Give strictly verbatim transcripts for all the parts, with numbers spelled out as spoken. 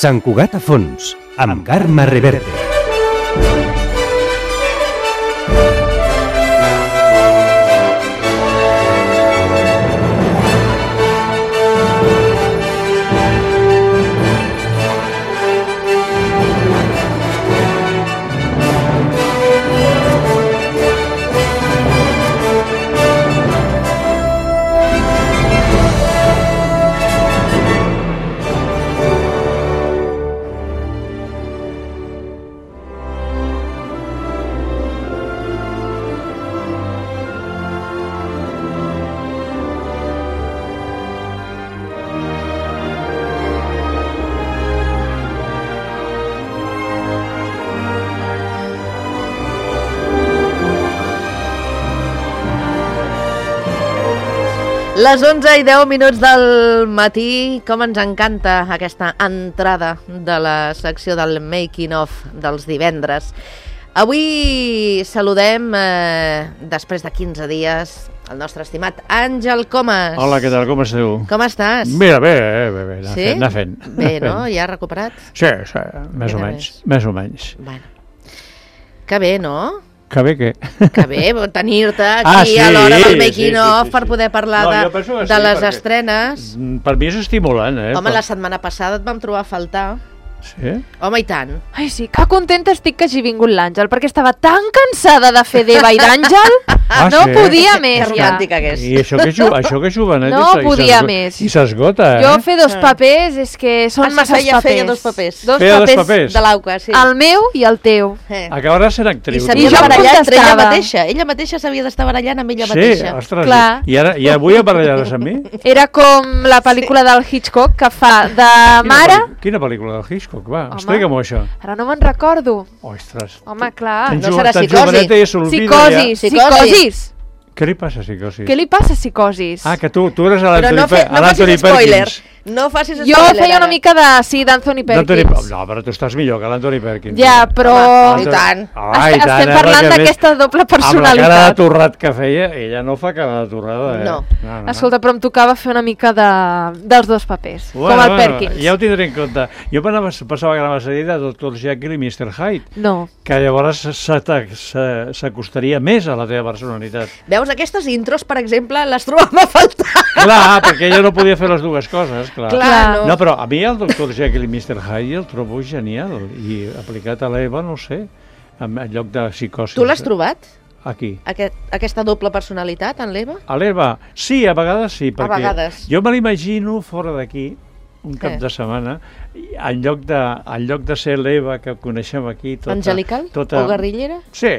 Sant Cugat a fons, amb Carme Reverte. Les onze i deu minuts del matí, com ens encanta aquesta entrada de la secció del making of dels divendres. Avui saludem, eh, després de quinze dies, el nostre estimat Àngel Comas. Hola, què tal? Com esteu? Com estàs? Mira, bé, bé, bé, anar sí? fent, anar fent. Bé, no? Ja recuperat? Sí, sí, més o menys, més o menys. Bueno, que bé, no? Que bé què? Que bé, tenir-te aquí ah, sí, a l'hora del sí, making sí, of sí, sí, per poder parlar no, de, de sí, les perquè... estrenes. Per mi és estimulant, eh? Home, per... la setmana passada et vam trobar a faltar. Sí? Home, i tant. Ai, sí, que contenta estic que hagi vingut l'Àngel, perquè estava tan cansada de fer d'Eva i d'Àngel, ah, no sí? podia més, que ja. romàntica que és. I això que, ju això que jovenet no i podia més. I s'esgota, eh? Jo fer dos papers és que són ah, massa feia, papers. Feia dos papers. Dos feia papers, dos papers de l'Auca, sí. El meu i el teu. Eh. Acabaràs sent actriu. I s'havia de barallar entre ella contestava. mateixa. Ella mateixa s'havia d'estar barallant amb ella sí, mateixa. ostres. Clar. I, ara, I avui a barallar-se amb mi? Era com la pel·lícula del Hitchcock que fa de Quina mare... pel·li- Quina pel·lícula del Hitchcock? Va, Home. explica-m'ho això. Ara no me'n recordo. Ostres. Home, clar. Tan no jo- serà tan psicosi. joveneta i s'olvida Psicosis, ja. psicosis. Què li passa a psicosis? Què li passa a psicosis? Ah, que tu, tu eres a Però l'Anthony no, fe, no Anthony facis spoiler. Perkins. No facis spoiler. Jo feia una ara. mica de... Sí, d'Anthony Perkins. No, però tu estàs millor que l'Anthony Perkins. Ja, però... Home, i tant. Ah, i Est- tant, Estem eh, parlant perquè d'aquesta més- doble Amb la cara de personalitat. torrat que feia, ella no fa cara de torrada, eh? No. no, no. Escolta, però em tocava fer una mica de, dels dos papers, Bueno, com el bueno, Perkins. ja ho tindré en compte. Jo pensava, pensava que anava a dir de doctor Jekyll i mister Hyde, No. que llavors se t'ac- se- s'acostaria més a la teva personalitat. Veus, aquestes intros, per exemple, les trobam a faltar. Clar, perquè ella no podia fer les dues coses, clar. Clar, no. No, però a mi el doctor Jekyll i mister Hyde el trobo genial, i aplicat a l'Eva, no sé, en, en lloc de psicosi. Tu l'has trobat? Aquí. Aquest, aquesta doble personalitat, en l'Eva? A l'Eva, sí, a vegades sí, perquè vegades. jo me l'imagino fora d'aquí, un cap Eh. de setmana, i en lloc de, en lloc de ser l'Eva que coneixem aquí... Tota, Angelical? tota, O guerrillera? Sí,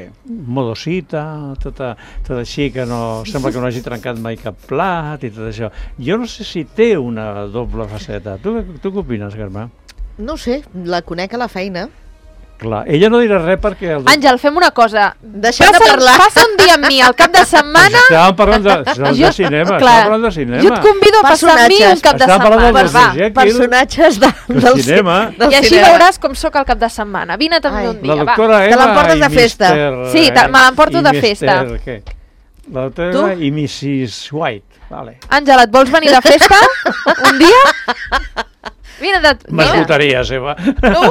modosita, tota, tot així, que no sembla que no hagi trencat mai cap plat i tot això. Jo no sé si té una doble faceta. Tu, tu què opines, Carme? No ho sé, la conec a la feina. Clar, ella no dirà res perquè... El... Àngel, fem una cosa. Deixem de Passa, parlar. passa un dia amb mi al cap de setmana. Estàvem parlant de, de, Jo- de cinema, clar, estàvem parlant de cinema. Jo et convido a passar amb mi un cap de Estàvem parlant setmana. del Va. Jekyll. Personatges de, Del del cinema. Del I així cinema. veuràs com sóc al cap de setmana. Vine també Ai. un La dia, va. doctora Te Eva l'emportes i de festa. mister Sí, te- me l'emporto i de mister festa. Què? La doctora Tu? Eva i missis White. Vale. Àngel, et vols venir de festa un dia? Vine de... Vine. M'esgotaries, Eva. No.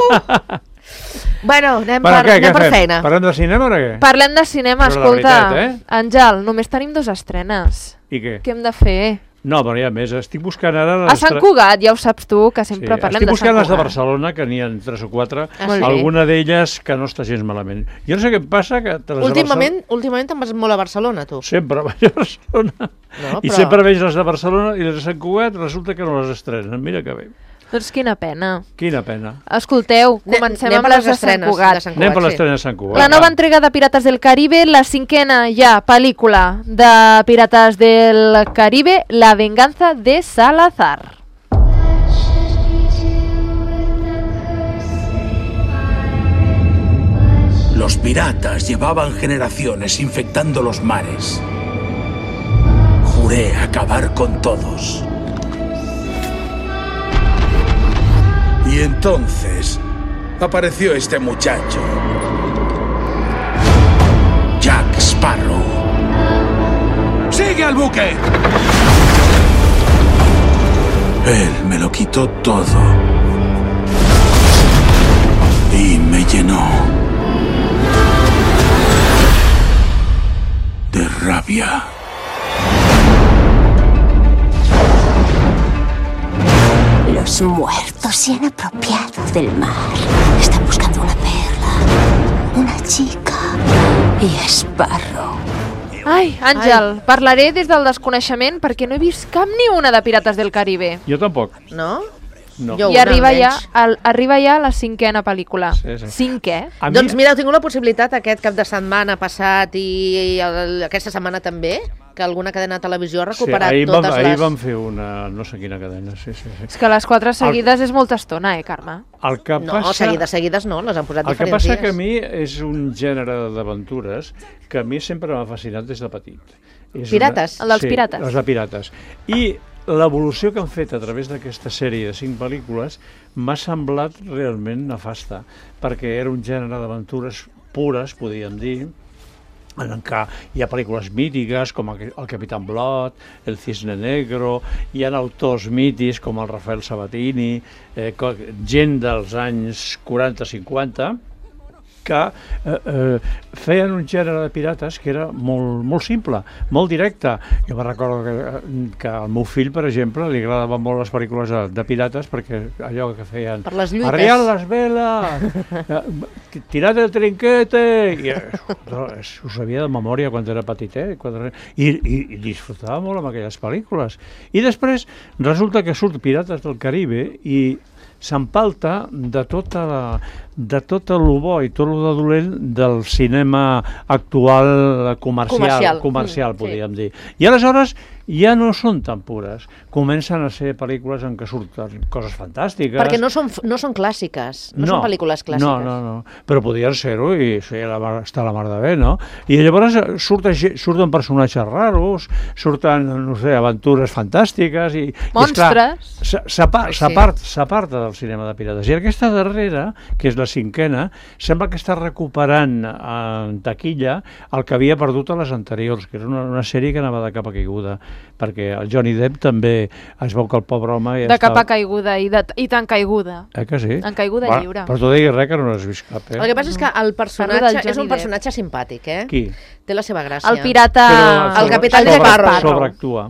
Bueno, anem Bueno, per, què, anem què per fem? feina. Parlem de cinema o què? Parlem de cinema, Però la escolta. veritat, eh? Àngel, només tenim dos estrenes. I què? Què hem de fer? No, però hi ha més. Estic buscant ara... A Sant Cugat, ja ho saps tu, que sempre Sí, parlem estic de Sant buscant les de Cugat. Barcelona, que n'hi ha tres o quatre, Ah, sí? alguna d'elles que no està gens malament. Jo no sé què em passa, que de les Últimament, últimament te'n vas molt a Barcelona, tu. de Barcelona sempre vaig a Barcelona. No, I però- sempre veig les de Barcelona i les de Sant Cugat resulta que no les estrenen. Mira que bé. Doncs quina pena. Quina pena. Escolteu, Ne- comencem anem amb per les les de Sant estrenes Cugat. de Sant Anem per sí. l'estrena de Sant Cugat. La nova va. entrega de Pirates del Caribe, la cinquena ja pel·lícula de Pirates del Caribe, La venganza de Salazar. Los piratas llevaban generaciones infectando los mares. Juré acabar con todos. Y entonces apareció este muchacho, Jack Sparrow. ¡Sigue al buque! Él me lo quitó todo. me llenó de rabia. Los muertos se han apropiado del mar. Están buscando una perla, una chica i Sparrow. Ai, Àngel, Ai. parlaré des del desconeixement perquè no he vist cap ni una de Pirates del Caribe. Jo tampoc. No? No. Jo I arriba ja, almenys. el, arriba ja la cinquena pel·lícula. Sí, sí. Cinquè? A mi- Doncs mira, heu tingut la possibilitat aquest cap de setmana passat i el, aquesta setmana també, que alguna cadena de televisió ha recuperat sí, ahir totes vam, les... Ahir vam fer una, no sé quina cadena, sí, sí, sí. És que les quatre seguides és molta estona, eh, Carme? El que No, passa, seguides, seguides no, les han posat el que diferents passa dies. que a mi és un gènere d'aventures que a mi sempre m'ha fascinat des de petit. És Pirates? El dels sí, pirates. els de pirates. I l'evolució que han fet a través d'aquesta sèrie de cinc pel·lícules m'ha semblat realment nefasta, perquè era un gènere d'aventures pures, podríem dir, en què hi ha pel·lícules mítiques com el Capitán Blood, el Cisne Negro, hi ha autors mítics com el Rafael Sabatini, eh, gent dels anys quaranta cinquanta, que eh, eh, feien un gènere de pirates que era molt, molt simple, molt directe. Jo me recordo que, que al meu fill, per exemple, li agradaven molt les pel·lícules de, de pirates perquè allò que feien... Per les lluites. Arrial les veles, tirad el trinquete... I, no, ho sabia de memòria quan era petitet. Quan era... I, i, I disfrutava molt amb aquelles pel·lícules. I després resulta que surt Pirates del Caribe i s'empalta de tota la, de tot el bo i tot el de dolent del cinema actual comercial, Comercial, comercial mm, podríem dir. I aleshores ja no són tan pures. Comencen a ser pel·lícules en què surten coses fantàstiques. Perquè no són, no són clàssiques, no, no són pel·lícules clàssiques. No, no, no. Però podien ser-ho i sí, la mar, està la mar de bé, no? I llavors surten, surten personatges raros, surten, no sé, aventures fantàstiques i... Monstres. S'aparta sí. del cinema de pirates. I aquesta darrera, que és la cinquena, sembla que està recuperant en taquilla el que havia perdut a les anteriors, que era una, una sèrie que anava de capa caiguda, perquè el Johnny Depp també es veu que el pobre home... Ja de capa estava... caiguda i, de, i tan caiguda. Eh que sí? En caiguda Va, lliure. però tu diguis res que no n'has vist cap, eh? El que passa és que el personatge Parlo del és un Johnny personatge simpàtic, eh? Qui? Té la seva gràcia. El pirata... el capità sobre, Sparrow. Sobreactua.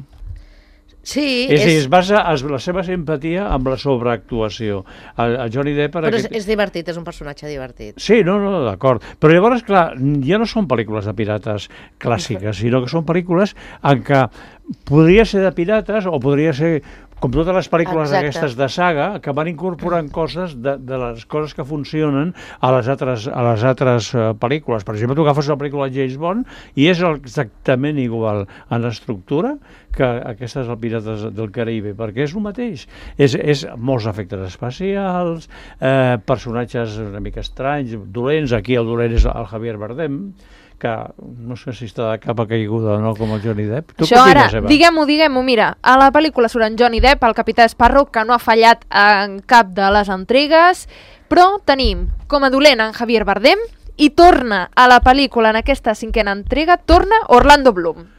Sí, És, és... és... es basa es, la seva simpatia amb la sobreactuació. El, el Johnny Depp... Però aquest... és, és divertit, és un personatge divertit. Sí, no, no, d'acord. Però llavors, clar, ja no són pel·lícules de pirates clàssiques, sinó que són pel·lícules en què podria ser de pirates o podria ser, com totes les pel·lícules Exacte. aquestes de saga, que van incorporant coses de, de les coses que funcionen a les altres, a les altres uh, pel·lícules. Per exemple, tu agafes la pel·lícula James Bond i és exactament igual en estructura que aquestes del Pirates del Caribe, perquè és el mateix. És, és molts efectes especials, eh, personatges una mica estranys, dolents. Aquí el dolent és el Javier Bardem, que no sé si està de capa caiguda o no, com el Johnny Depp. Tu Això què ara, opines, Eva? diguem-ho, diguem-ho, mira, a la pel·lícula surt en Johnny Depp, el capità Sparrow, que no ha fallat en cap de les entregues, però tenim com a dolent en Javier Bardem i torna a la pel·lícula, en aquesta cinquena entrega, torna Orlando Bloom.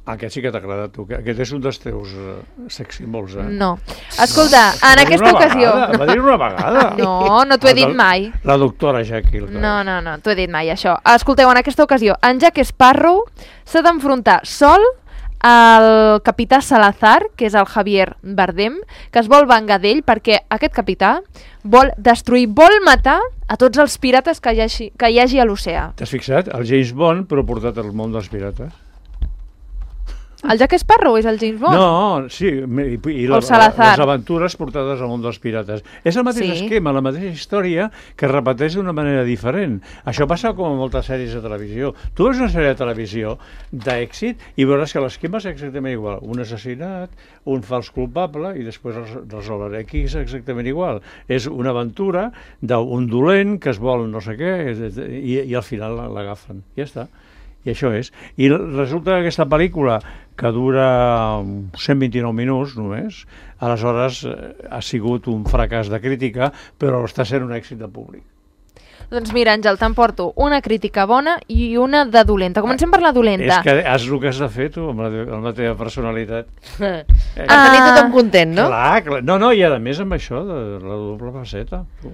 Aquest sí que t'agrada a tu, que aquest és un dels teus uh, sex símbols, eh? No. Escolta, en Va dir aquesta una ocasió... Vegada, va dir una vegada. No, no t'ho he El dit del- mai. La doctora Jekyll. clar. No, no, no, t'ho he dit mai, això. Escolteu, en aquesta ocasió, en Jack Sparrow s'ha d'enfrontar sol al capità Salazar, que és el Javier Bardem, que es vol vengar d'ell perquè aquest capità vol destruir, vol matar a tots els pirates que hi hagi, que hi hagi a l'oceà. T'has fixat? El James Bond, però portat al món dels pirates. El Jack Sparrow és el James Bond? No, sí, i, i la, O Salazar. les aventures portades al món dels pirates. És el mateix Sí. esquema, la mateixa història que es repeteix d'una manera diferent. Això passa com en moltes sèries de televisió. Tu veus una sèrie de televisió d'èxit i veuràs que l'esquema és exactament igual. Un assassinat, un fals culpable i després res- resoldre. Aquí és exactament igual. És una aventura d'un dolent que es vol no sé què i, i al final l'agafen. Ja està. I això és. I resulta que aquesta pel·lícula, que dura cent vint-i-nou minuts només, aleshores eh, ha sigut un fracàs de crítica, però està sent un èxit de públic. Doncs mira, Àngel, t'emporto una crítica bona i una de dolenta. Comencem per la dolenta. És que has el que has de fer tu amb la, amb la teva personalitat. Per Eh, tenir Ah. tothom content, no? Clar, clar. No, no, i a més amb això de la doble faceta. Tu.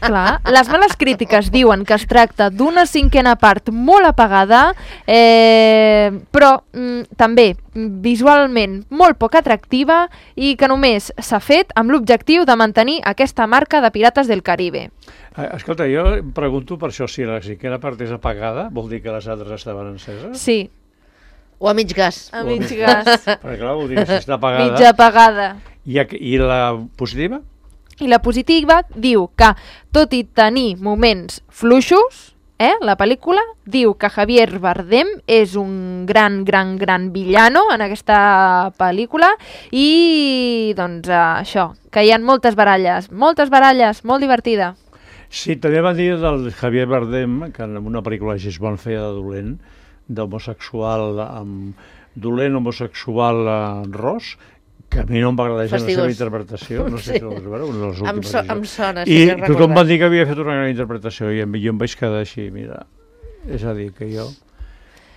Clar, les males crítiques diuen que es tracta d'una cinquena part molt apagada, eh, però mm, també visualment molt poc atractiva i que només s'ha fet amb l'objectiu de mantenir aquesta marca de Pirates del Caribe. Escolta, jo em pregunto per això, si la cinquena part és apagada, vol dir que les altres estaven enceses? Sí. O a mig gas. A mig gas. Perquè clar, vol dir que si està apagada... Mitja apagada. I, I la positiva? I la positiva diu que, tot i tenir moments fluixos, eh, la pel·lícula diu que Javier Bardem és un gran, gran, gran villano en aquesta pel·lícula i, doncs, eh, això, que hi ha moltes baralles, moltes baralles, molt divertida. Sí, també van dir del Javier Bardem, que en una pel·lícula així es van fer de dolent, d'homosexual amb dolent homosexual en ros, que a mi no em va agradar gens la seva interpretació, no sé sí. si ho vas veure, una de les últimes. Em, so, em sona, sí, I sí, tothom va dir que havia fet una gran interpretació i jo em vaig quedar així, mira, és a dir, que jo...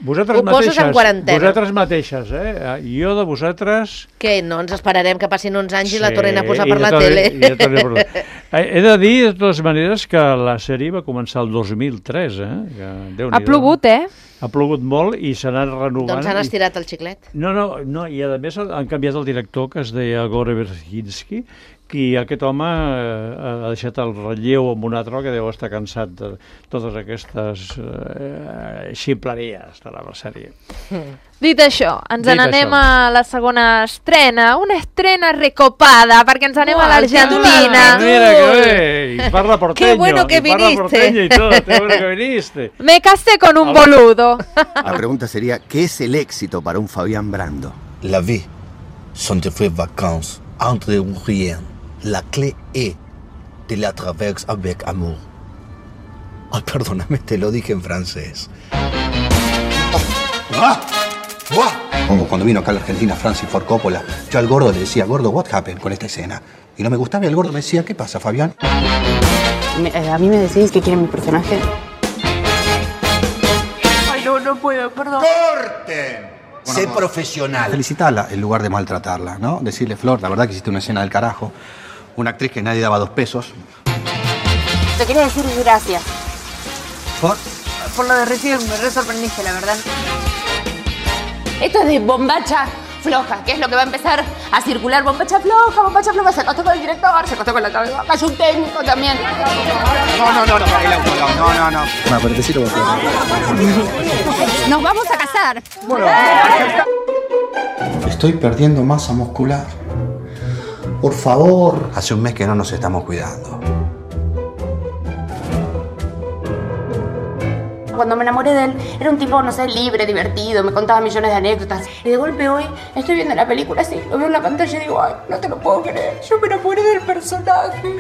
Vosaltres ho poses mateixes, en quarantena. Vosaltres mateixes, eh? Jo de vosaltres... Que no, ens esperarem que passin uns anys sí, i la tornen a posar per la tele. tele. Ja He de dir, de totes maneres, que la sèrie va començar el dos mil tres, eh? Que, ha plogut, eh? Ha plogut molt i s'ha anat renovant. Doncs han estirat el xiclet. No, no, no, i a més han canviat el director, que es deia Gore Verbinski, i aquest home eh, ha deixat el relleu amb un altre que deu estar cansat de totes aquestes eh, ximpleries de la sèrie. Mm. Dit això, ens Dit n'anem això. a la segona estrena, una estrena recopada, perquè ens anem Uau, a l'Argentina. Mira que bé, y parla porteño, Qué bueno que y parla viniste. porteño y todo, qué bueno que viniste. Me casé con un boludo. La pregunta sería, ¿qué es el éxito para un Fabián Brando? La vie sont de vraies vacances entre rien. La clé est de la traverse avec amour. Ay, perdóname, te lo dije en francés. ¡Ah! Como cuando vino acá a la Argentina Francis Ford Coppola, yo al gordo le decía, gordo, what happened con esta escena? Y no me gustaba y el gordo me decía, ¿qué pasa, Fabián? Me, eh, a mí me decís que quieren mi personaje. Ay, no, no puedo, perdón. ¡Corten! Sé profesional. Felicitarla en lugar de maltratarla, ¿no? Decirle, Flor, la verdad que hiciste una escena del carajo. Una actriz que nadie daba dos pesos. Te quería decir gracias. ¿Por? Por lo de recién, me re sorprendiste, la verdad. Esto es de bombacha floja, que es lo que va a empezar a circular. Bombacha floja, bombacha floja. Se acostó con el director, se acostó con la cabeza. Hay un técnico también. No, no, no, no, el auto, no, no, no. No, pero te sirvo. Nos vamos a casar. Bueno, estoy perdiendo masa muscular. Por favor. Hace un mes que no nos estamos cuidando. Cuando me enamoré de él, era un tipo, no sé, libre, divertido, me contaba millones de anécdotas. Y de golpe hoy estoy viendo la película así, lo veo en la pantalla y digo, ay, no te lo puedo creer. Yo me enamoré del personaje.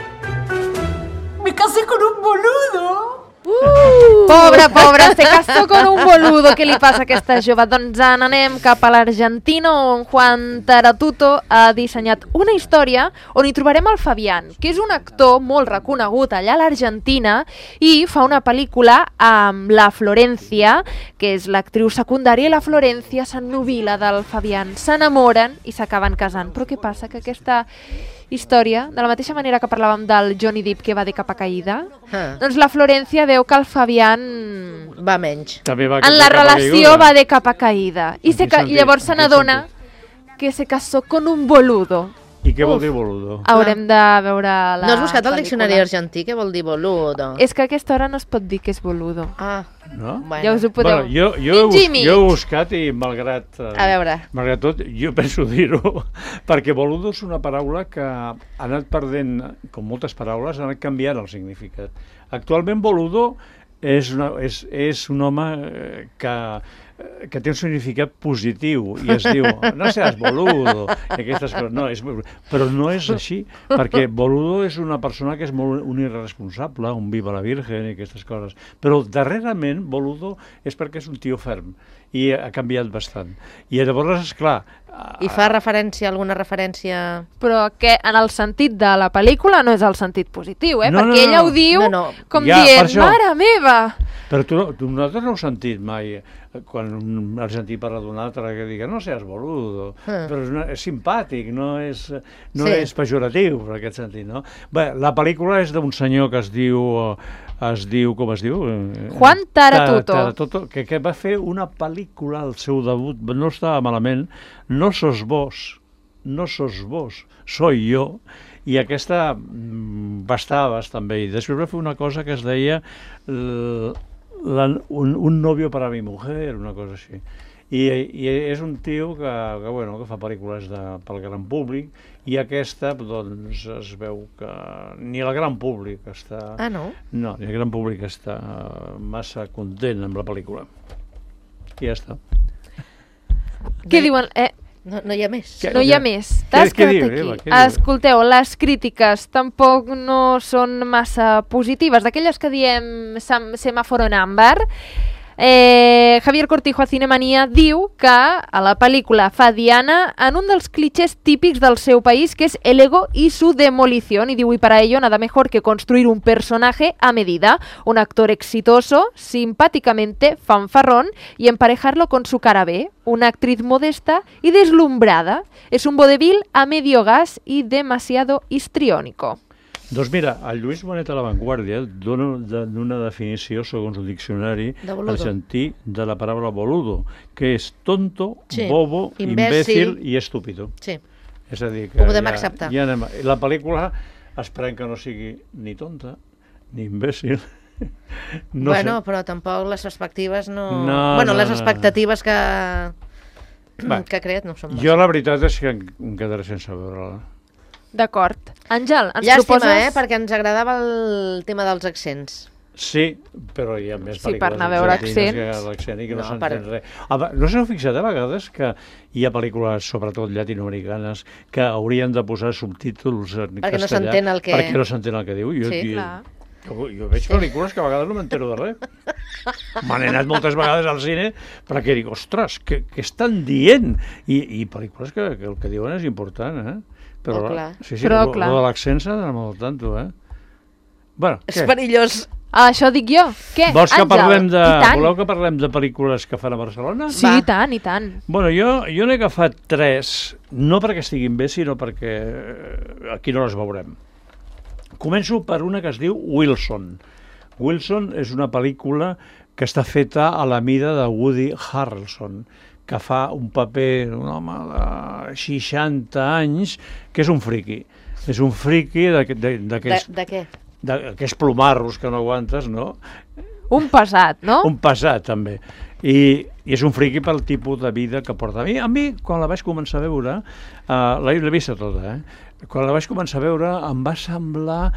Me casé con un boludo. Uh! Pobra, pobra, se casó con un boludo. Què li passa a aquesta jove? Doncs anem cap a l'Argentina, on Juan Taratuto ha dissenyat una història on hi trobarem el Fabián, que és un actor molt reconegut allà a l'Argentina i fa una pel·lícula amb la Florencia, que és l'actriu secundària, i la Florencia s'ennubila del Fabián, s'enamoren i s'acaben casant. Però què passa? Que aquesta història, de la mateixa manera que parlàvem del Johnny Depp que va de capa caïda, ah. doncs la Florencia veu que el Fabián va menys. També va en la relació va de capa caïda. I, se ca... I llavors se n'adona que se casó con un boludo. I què vol dir boludo? Haurem de veure la No has buscat el pel·lícula. diccionari argentí? Què vol dir boludo? És que a aquesta hora no es pot dir que és boludo. Ah, no? Bueno. Ja us ho podeu... Bueno, jo, jo, he bus, jo he buscat i malgrat, eh, a veure. malgrat tot, jo penso dir-ho, perquè boludo és una paraula que ha anat perdent, com moltes paraules, ha anat canviant el significat. Actualment boludo és, una, és, és un home eh, que que té un significat positiu i es diu, no seas boludo i aquestes coses, no, és, però no és així, perquè boludo és una persona que és molt un irresponsable, un viva la virgen i aquestes coses, però darrerament boludo és perquè és un tio ferm i ha canviat bastant, i llavors esclar, I fa referència, alguna referència... Però que en el sentit de la pel·lícula no és el sentit positiu, eh? No, Perquè no, no, ella ho diu no, no. com Ja, per dient, això. mare meva! però tu, tu nosaltres no heu sentit mai quan un argentí parla d'un altre que digui no seas boludo, Ah. però és, una, és simpàtic, no és, no Sí. és pejoratiu, per aquest sentit, no? Bé, la pel·lícula és d'un senyor que es diu, es diu, com es diu? Juan Taratuto. Taratuto, que, que va fer una pel·lícula, el seu debut, no estava malament, No sos vos, no sos vos, soy yo, i aquesta mm, va estar bastant bé. I després va fer una cosa que es deia l- la, un, un novio para mi mujer, una cosa així. I, i és un tio que, que, bueno, que fa pel·lícules de, pel gran públic, i aquesta, doncs, es veu que ni el gran públic està... Ah, no? No, ni el gran públic està massa content amb la pel·lícula. I ja està. Què diuen? Eh, No, no hi ha més. Què? no hi ha més. T'has què quedat diu, aquí. Eva, què diu? Escolteu, les crítiques tampoc no són massa positives. D'aquelles que diem sem semàforo en àmbar, eh, Javier Cortijo a Cinemanía diu que a la pel·lícula fa diana en un dels clichés típics del seu país, que es el ego y su demolición, y diu, y para ello nada mejor que construir un personaje a medida, un actor exitoso, simpáticamente fanfarrón, y emparejarlo con su cara B, una actriz modesta y deslumbrada. Es un vodevil a medio gas y demasiado histriónico. Doncs mira, el Lluís Bonet a La Vanguardia dona de- una definició, segons el diccionari De boludo. argentí, de la paraula boludo, que és tonto, Sí. bobo, Imbècil. imbècil i estúpido. Sí. És a dir, que Ho podem ja, acceptar. ja anem, la pel·lícula esperem que no sigui ni tonta, ni imbècil. No bueno, sé. però tampoc les expectatives no... No, bueno, no, les no. expectatives que... Va, que ha creat no són jo la veritat és que em, em quedaré sense veure-la. D'acord. Àngel, ens Llàstima, proposes... eh? Perquè ens agradava el tema dels accents. Sí, però hi ha més Sí, per pel·lícules anar a veure argentines que accents. l'accent i que no, No, no s'entén per- res. Ah, va, no s'heu fixat a vegades que hi ha pel·lícules, sobretot llatinoamericanes, que haurien de posar subtítols en Perquè no castellà s'entén el que- perquè no s'entén el que diu. Jo, Sí, jo, clar. jo, jo veig pel·lícules que a vegades no m'entero de res. M'han anat moltes vegades al cine perquè dic, ostres, què, què estan dient? I, i pel·lícules que, que el que diuen és important, eh? Però, Oh, clar. Sí, sí, Però, lo, clar. lo de l'accent s'ha d'anar molt al tanto, eh? Bueno, És què? perillós. Ah, això dic jo. Què, Vols que Àngel? parlem de... I tant. Voleu que parlem de pel·lícules que fan a Barcelona? Sí, Va. i tant, i tant. Bueno, jo, jo n'he agafat tres, no perquè estiguin bé, sinó perquè eh, aquí no les veurem. Començo per una que es diu Wilson. Wilson és una pel·lícula que està feta a la mida de Woody Harrelson, que fa un paper d'un home de seixanta anys, que és un friqui. És un friqui d'aqu- de- De, d'aquells de què? d'aquells plomarros que no aguantes, no? Un pesat, no? Un pesat, també. I, I és un friqui pel tipus de vida que porta. A mi, a mi quan la vaig començar a veure, uh, l'he l'he vista tota, eh? Quan la vaig començar a veure em va semblar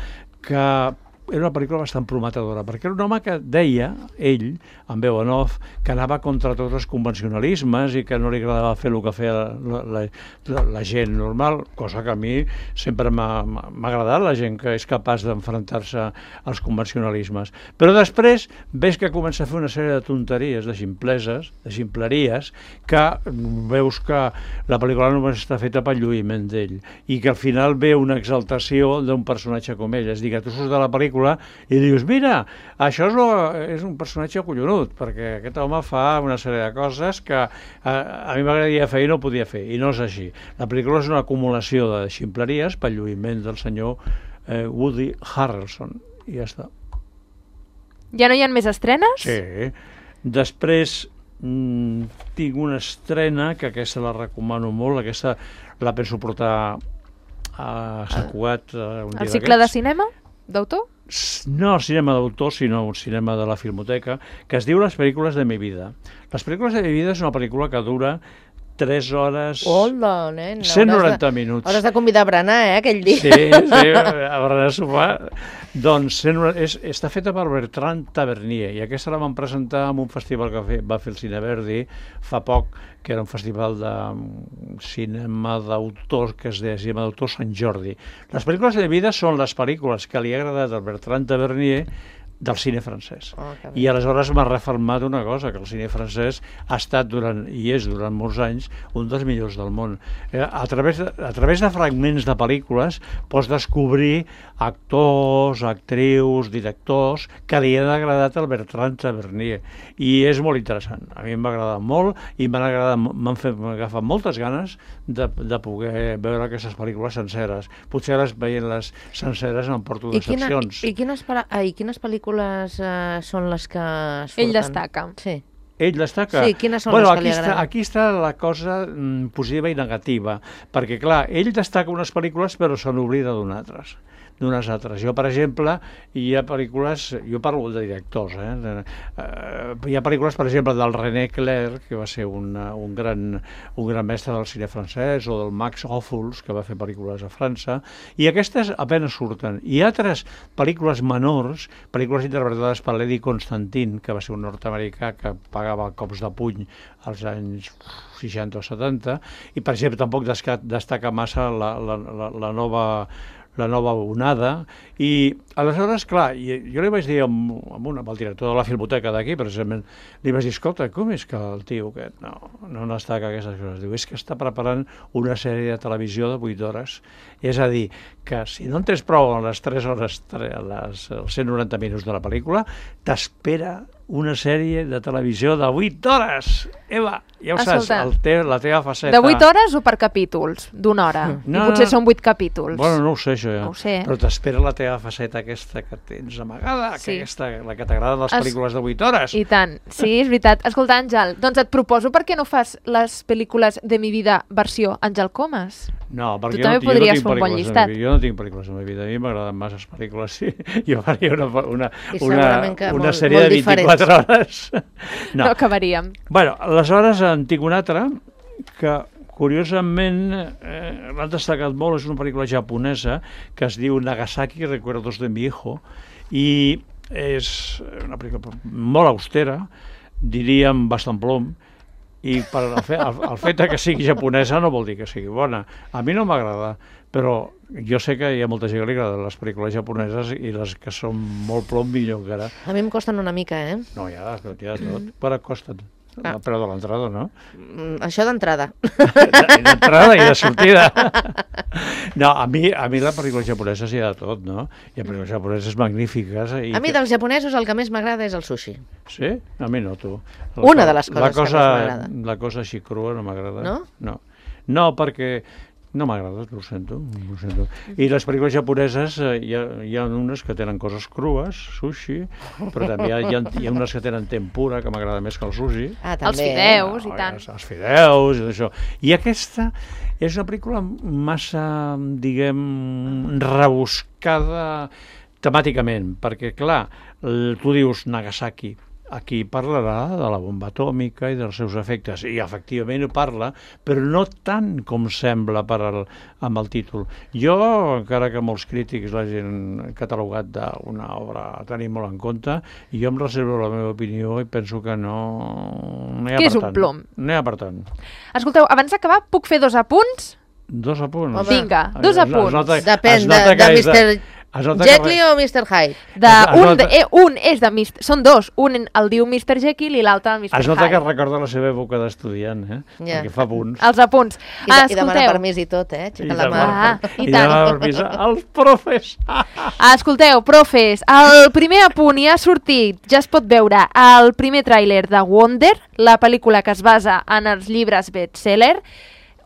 que era una pel·lícula bastant prometedora, perquè era un home que deia, ell, en veu en off, que anava contra tots els convencionalismes i que no li agradava fer el que feia la, la, la, la gent normal, cosa que a mi sempre m'ha m'ha agradat, la gent que és capaç d'enfrontar-se als convencionalismes. Però després ves que comença a fer una sèrie de tonteries, de ximpleses, de ximpleries, que veus que la pel·lícula només està feta pel lluïment d'ell i que al final ve una exaltació d'un personatge com ell. És a dir, que tu surts de la pel·lícula i dius, mira, això és, lo, és un personatge collonut, perquè aquest home fa una sèrie de coses que a, a mi m'agradaria fer i no podia fer, i no és així. La pel·lícula és una acumulació de ximpleries pel lluïment del senyor eh, Woody Harrelson, i ja està. Ja no hi ha més estrenes? Sí. Després mm, tinc una estrena, que aquesta la recomano molt, aquesta la penso portar a Sant Cugat eh, un dia El cicle de d'aquests. cinema? D'autor? No el cinema d'autor, sinó un cinema de la Filmoteca, que es diu Les pel·lícules de mi vida. Les pel·lícules de mi vida és una pel·lícula que dura tres hores... Hola, nen. cent hauràs noranta de- minuts. Hauràs de convidar a berenar, eh, aquell dia. Sí, sí, a berenar a sopar. Doncs cent noranta és, està feta per Bertrand Tavernier, i aquesta la van presentar en un festival que fe, va fer el Cine Verdi fa poc, que era un festival de cinema d'autors, que es deia Cinema d'autor Sant Jordi. Les pel·lícules de vida són les pel·lícules que li ha agradat al Bertrand Tavernier del cine francès. Oh, I aleshores m'ha refermat una cosa, que el cine francès ha estat durant, i és durant molts anys, un dels millors del món. Eh, a, través de, a través de fragments de pel·lícules pots descobrir actors, actrius, directors que li han agradat al Bertrand Tavernier. I és molt interessant. A mi m'ha agradat molt i m'han agradat, m'han fet, m'han agafat moltes ganes de, de poder veure aquestes pel·lícules senceres. Potser les veient les senceres em porto I, quina, decepcions. i, quines, pala- ah, I quines pel·lícules eh, són les que surten? Ell destaca. Sí. Ell destaca. Sí, quines són bueno, les que aquí li està, agraden? aquí està la cosa mm, positiva i negativa, perquè, clar, ell destaca unes pel·lícules però se n'oblida d'unes altres. d'unes altres. Jo, per exemple, hi ha pel·lícules, jo parlo de directors, eh? De, uh, hi ha pel·lícules, per exemple, del René Clair, que va ser una, un, gran, un gran mestre del cine francès, o del Max Ophuls, que va fer pel·lícules a França, i aquestes apenas surten. I altres pel·lícules menors, pel·lícules interpretades per l'Eddie Constantine, que va ser un nord-americà que pagava cops de puny als anys seixanta o setanta, i, per exemple, tampoc destaca massa la, la, la, la nova la nova onada, i aleshores, clar, jo li vaig dir amb, amb, una, amb el director de la Filmoteca d'aquí, precisament, li vaig dir, escolta, com és que el tio aquest no, no destaca aquestes coses? Diu, és que està preparant una sèrie de televisió de vuit hores, és a dir, que si no en tens prou en les tres hores, les, els cent noranta minuts de la pel·lícula, t'espera una sèrie de televisió de vuit hores. Eva, ja ho saps, el te, la teva faceta... De vuit hores o per capítols? D'una hora? No, I potser no, són vuit capítols. Bueno, no ho sé, això ja. No ho sé. Però t'espera la teva faceta aquesta que tens amagada, sí. que aquesta, la que t'agrada les es... pel·lícules de vuit hores. I tant, sí, és veritat. Escolta, Àngel, doncs et proposo per què no fas les pel·lícules de mi vida versió Àngel Comas? No, perquè tu jo, també no, podries jo no fer un bon llistat. Jo no tinc pel·lícules de la meva vida, a mi m'agraden massa les pel·lícules, sí. Jo faria una, una, una, una molt, sèrie molt de vint-i-quatre hores. No. no acabaríem. Bueno, aleshores en tinc una altra que, curiosament, eh, l'han destacat molt, és una pel·lícula japonesa que es diu Nagasaki, Recuerdos de mi hijo, i és una pel·lícula molt austera, diríem bastant plom, i per el, fe, el, el fet que sigui japonesa no vol dir que sigui bona. A mi no m'agrada, però jo sé que hi ha molta gent que li agraden les pel·lícules japoneses i les que són molt plom millor encara. A mi em costen una mica, eh? No, ja, ja tot. Per a costen. Ah. El preu de l'entrada, no? Mm, això d'entrada. D'entrada i de sortida. No, a mi, a mi la pel·lícula japonesa hi ha de tot, no? Hi ha pel·lícules japoneses magnífiques. I a mi dels japonesos el que més m'agrada és el sushi. Sí? A mi no, tu. La Una de les coses la cosa, que més m'agrada. La cosa així crua no m'agrada. No? No, no perquè... No m'agrada, ho sento, ho sento. I les pel·lícules japoneses, eh, hi, ha, hi ha unes que tenen coses crues, sushi, però també hi ha, hi ha, hi ha unes que tenen tempura, que m'agrada més que el sushi. Ah, també. Els fideus, no, i tant. Els, els fideus, i això. I aquesta és una pel·lícula massa, diguem, rebuscada temàticament, perquè, clar, tu dius Nagasaki, aquí parlarà de la bomba atòmica i dels seus efectes, i efectivament ho parla, però no tant com sembla per al, amb el títol. Jo, encara que molts crítics l'hagin catalogat d'una obra a tenir molt en compte, jo em reservo la meva opinió i penso que no... no hi ha que per és un tant. plom. No hi ha per tant. Escolteu, abans d'acabar, puc fer dos apunts? Dos apunts? Home. Vinga, dos Es, apunts. es nota, Depèn es de, nota de que és mister Jekyll o mister Hyde? De, Es- es un, nota- de, eh, un és de mister Són dos. Un el diu mister Jekyll i l'altre el mister Es nota que Hyde. recorda la seva època d'estudiant, eh? Ja. Perquè fa punts. Els apunts. I, de, Ah, i demana escolteu. permís i tot, eh? I Aixeca la mà. demana- Ah, i I tant. demana permís als profes. Ah, escolteu, profes, el primer apunt ja ha sortit, ja es pot veure el primer tràiler de Wonder, la pel·lícula que es basa en els llibres bestseller,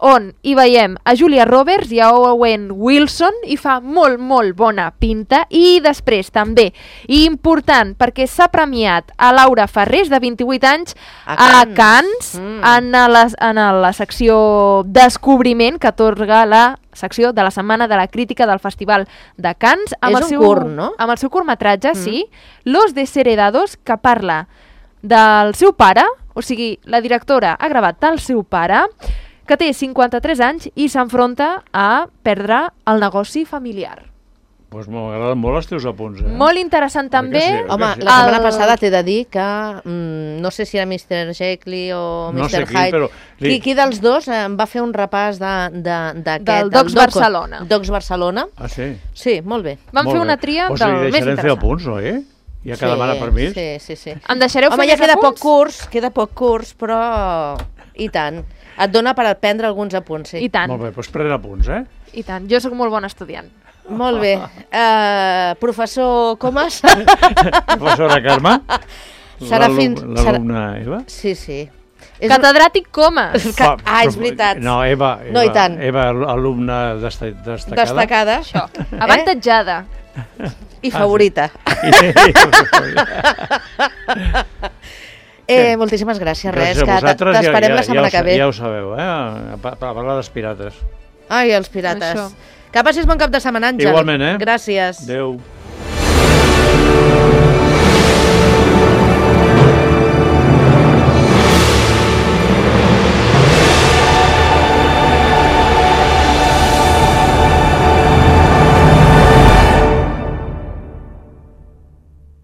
on hi veiem a Julia Roberts i a Owen Wilson i fa molt, molt bona pinta. I després també, i important, perquè s'ha premiat a Laura Ferrés, de vint-i-vuit anys, A a Cannes. Cannes, Mm. en, la, en la secció Descobriment, que atorga la secció de la Setmana de la Crítica del Festival de Cannes. Amb És el un seu, curt, no? Amb el seu curtmetratge, Mm. sí, Los Desheredados, que parla del seu pare, o sigui, la directora ha gravat del seu pare, que té cinquanta-tres anys i s'enfronta a perdre el negoci familiar. Doncs pues m'agraden molt els teus apunts, eh? Molt interessant també. sí? Home, Sí. la setmana El- passada t'he de dir que mm, no sé si era mister Jekyll o No mister sé qui, Hyde. però li- Qui, qui dels dos eh, em va fer un repàs de, de, d'aquest, Del Docs Doc- Barcelona. Docs Barcelona. Ah, sí? Sí, molt bé. Vam Molt fer una bé. tria pues del li més deixarem fer interessant. apunts, oi? Ja que demana permís. Sí, sí, sí. Em deixareu Home, fer ja més queda poc apunts? curs, queda poc curs, però i tant. Et dona per prendre alguns apunts, sí. I tant, Molt bé, doncs pren apunts, eh? i tant. Jo sóc molt bon estudiant. Molt bé. Uh, professor Comas? Professora Carme? Serà fins... L'alumna Eva? Sí, sí. És Catedràtic Comas. Que... Ah, és veritat. No, Eva, Eva, No, i tant. Eva alumna desta destacada. Destacada. Això. Avantatjada. I favorita. eh, moltíssimes gràcies, res, Gràcies a que vosaltres, t'esperem ja, la setmana ja, que ve. Ja ho sabeu, eh? A pa- a parlar dels pirates. Ai, els pirates. Això. Que passis bon cap de setmana, Àngel. Igualment, eh? Gràcies. Adéu.